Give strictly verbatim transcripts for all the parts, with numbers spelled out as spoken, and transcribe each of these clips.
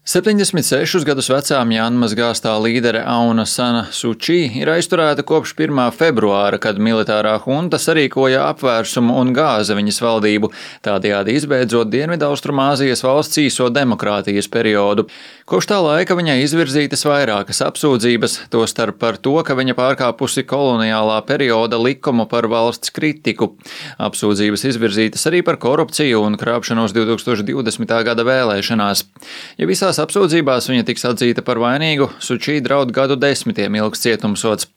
septiņdesmit sešus gadus vecā Mjanmas gāztā līdere Auna Sana Suči ir aizturēta kopš pirmā februāra, kad militārā hunta sarīkoja apvērsumu un gāza viņas valdību, tādējādi izbeidzot Dienvidaustrumāzijas valsts īso demokrātijas periodu. Kopš tā laika viņai izvirzītas vairākas apsūdzības, tostarp par to, ka viņa pārkāpusi koloniālā perioda likumu par valsts kritiku. Apsūdzības izvirzītas arī par korupciju un krāpšanos divtūkstoš divdesmitā gada vēlēšanās. Ja visās apsūdzībās viņa tiks atzīta par vainīgu, Suči draud gadu desmitiem ilgs cietumsods.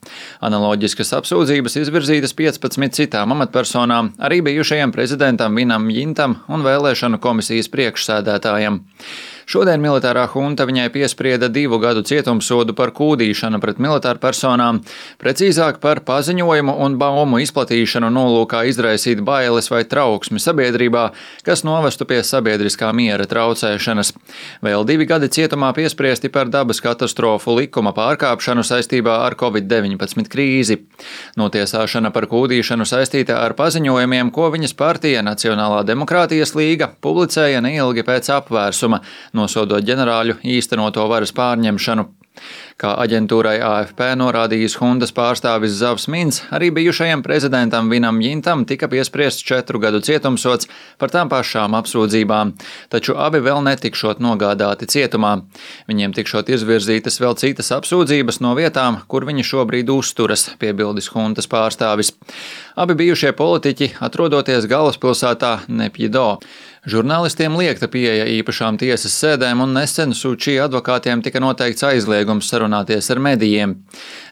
Analoģiskas apsūdzības izvirzītas piecpadsmit citām amatpersonām, arī bijušajam prezidentam Vinam Mjintam un vēlēšanu komisijas priekšsēdētājam. Šodien militārā hunta viņai piesprieda divu gadu cietumsodu par kūdīšanu pret militāru personām, precīzāk par paziņojumu un baumu izplatīšanu nolūkā izraisīt bailes vai trauksmi sabiedrībā, kas novestu pie sabiedriskā miera traucēšanas. Vēl divi gadi cietumā piespriesti par dabas katastrofu likuma pārkāpšanu saistībā ar covid deviņpadsmit krīzi. Notiesāšana par kūdīšanu saistīta ar paziņojumiem, ko viņas partija Nacionālā demokrātijas līga publicēja neilgi pēc apvērsuma, nosodot ģenerāļu īstenoto varas pārņemšanu. Kā aģentūrai A F P norādījis huntas pārstāvis Zavs Mins, arī bijušajam prezidentam Vinam Mjintam tika piespriests četru gadu cietumsods par tām pašām apsūdzībām, taču abi vēl netikšot nogādāti cietumā. Viņiem tikšot izvirzītas vēl citas apsūdzības no vietām, kur viņi šobrīd uzturas, piebildis huntas pārstāvis. Abi bijušie politiķi atrodoties galvaspilsētā Nepjido. Žurnālistiem liekta pieeja īpašām tiesas sēdēm un nesen Suči advokātiem tika noteikts aizliegums sarunāties ar medijiem.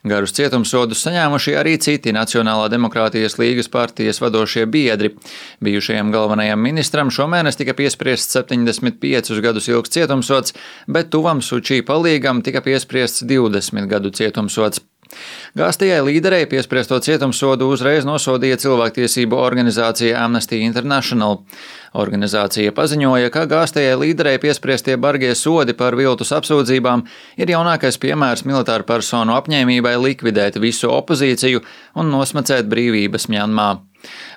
Garus cietumsodus saņēmuši arī citi Nacionālā demokrātijas līgas partijas vadošie biedri. Bijušajam galvenajam ministram šomēnes tika piespriests septiņdesmit piecus gadus ilgs cietumsods, bet tuvam Suči palīgam tika piespriests divdesmit gadu cietumsods. Gāztajai līderei piespriesto cietumsodu uzreiz nosodīja cilvēktiesību organizācija Amnesty International. Organizācija paziņoja, ka gāztajai līderei piespriestie bargie sodi par viltus apsūdzībām ir jaunākais piemērs militāru personu apņēmībai likvidēt visu opozīciju un nosmacēt brīvības Mjanmā.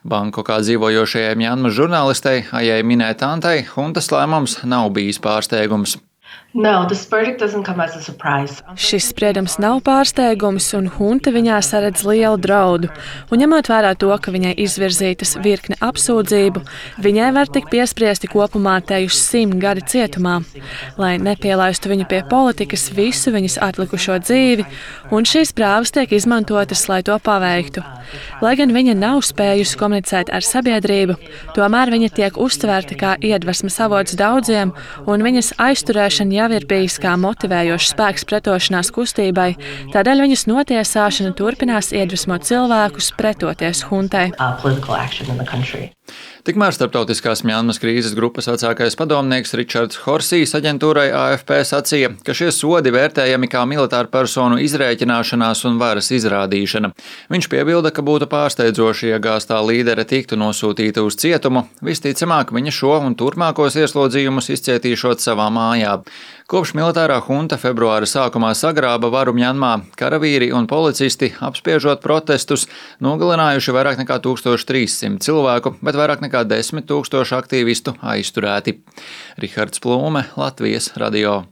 Bankokā dzīvojošajai Mjanmas žurnālistei Ajai Minē Tantai huntas lēmums nav bijis pārsteigums. No, this verdict doesn't come as a surprise. Šis spriedums nav pārsteigums, un hunta viņā saredz lielu draudu. Un ņemot vērā to, ka viņai izvirzītas virkne apsūdzību, viņai var tikt piespriesti kopumā tejuši simt gadi cietumā, lai nepielaistu viņu pie politikas visu viņas atlikušo dzīvi, un šīs prāvas tiek izmantotas, lai to paveiktu. Lai gan viņa nav spējusi komunicēt ar sabiedrību, tomēr viņa tiek uztvērta kā iedvesmas avots daudziem, un viņas aizturēšana jau ir bijis kā motivējošs spēks pretošanās kustībai, tādēļ viņas notiesāšana turpinās iedvesmot cilvēkus pretoties huntai. Tikmēr starptautiskās Mjanmas krīzes grupas vecākais padomnieks Ričards Horsijs aģentūrai A F P sacīja, ka šie sodi vērtējami kā militāru personu izrēķināšanās un varas izrādīšana. Viņš piebilda, ka būtu pārsteidzoši, ja gāztā līdere tiktu nosūtīta uz cietumu, visticamāk viņa šo un turpmākos ieslodzījumus izcietīšot savā mājā. Kopš militārā hunta februāra sākumā sagrāba varu Mjanmā, karavīri un policisti, apspiežot protestus, nogalinājuši vairāk nekā tūkstoš trīs simt cilvēku, bet vairāk nekā desmit tūkstoši aktīvistu aizturēti. Rihards Plūme, Latvijas radio.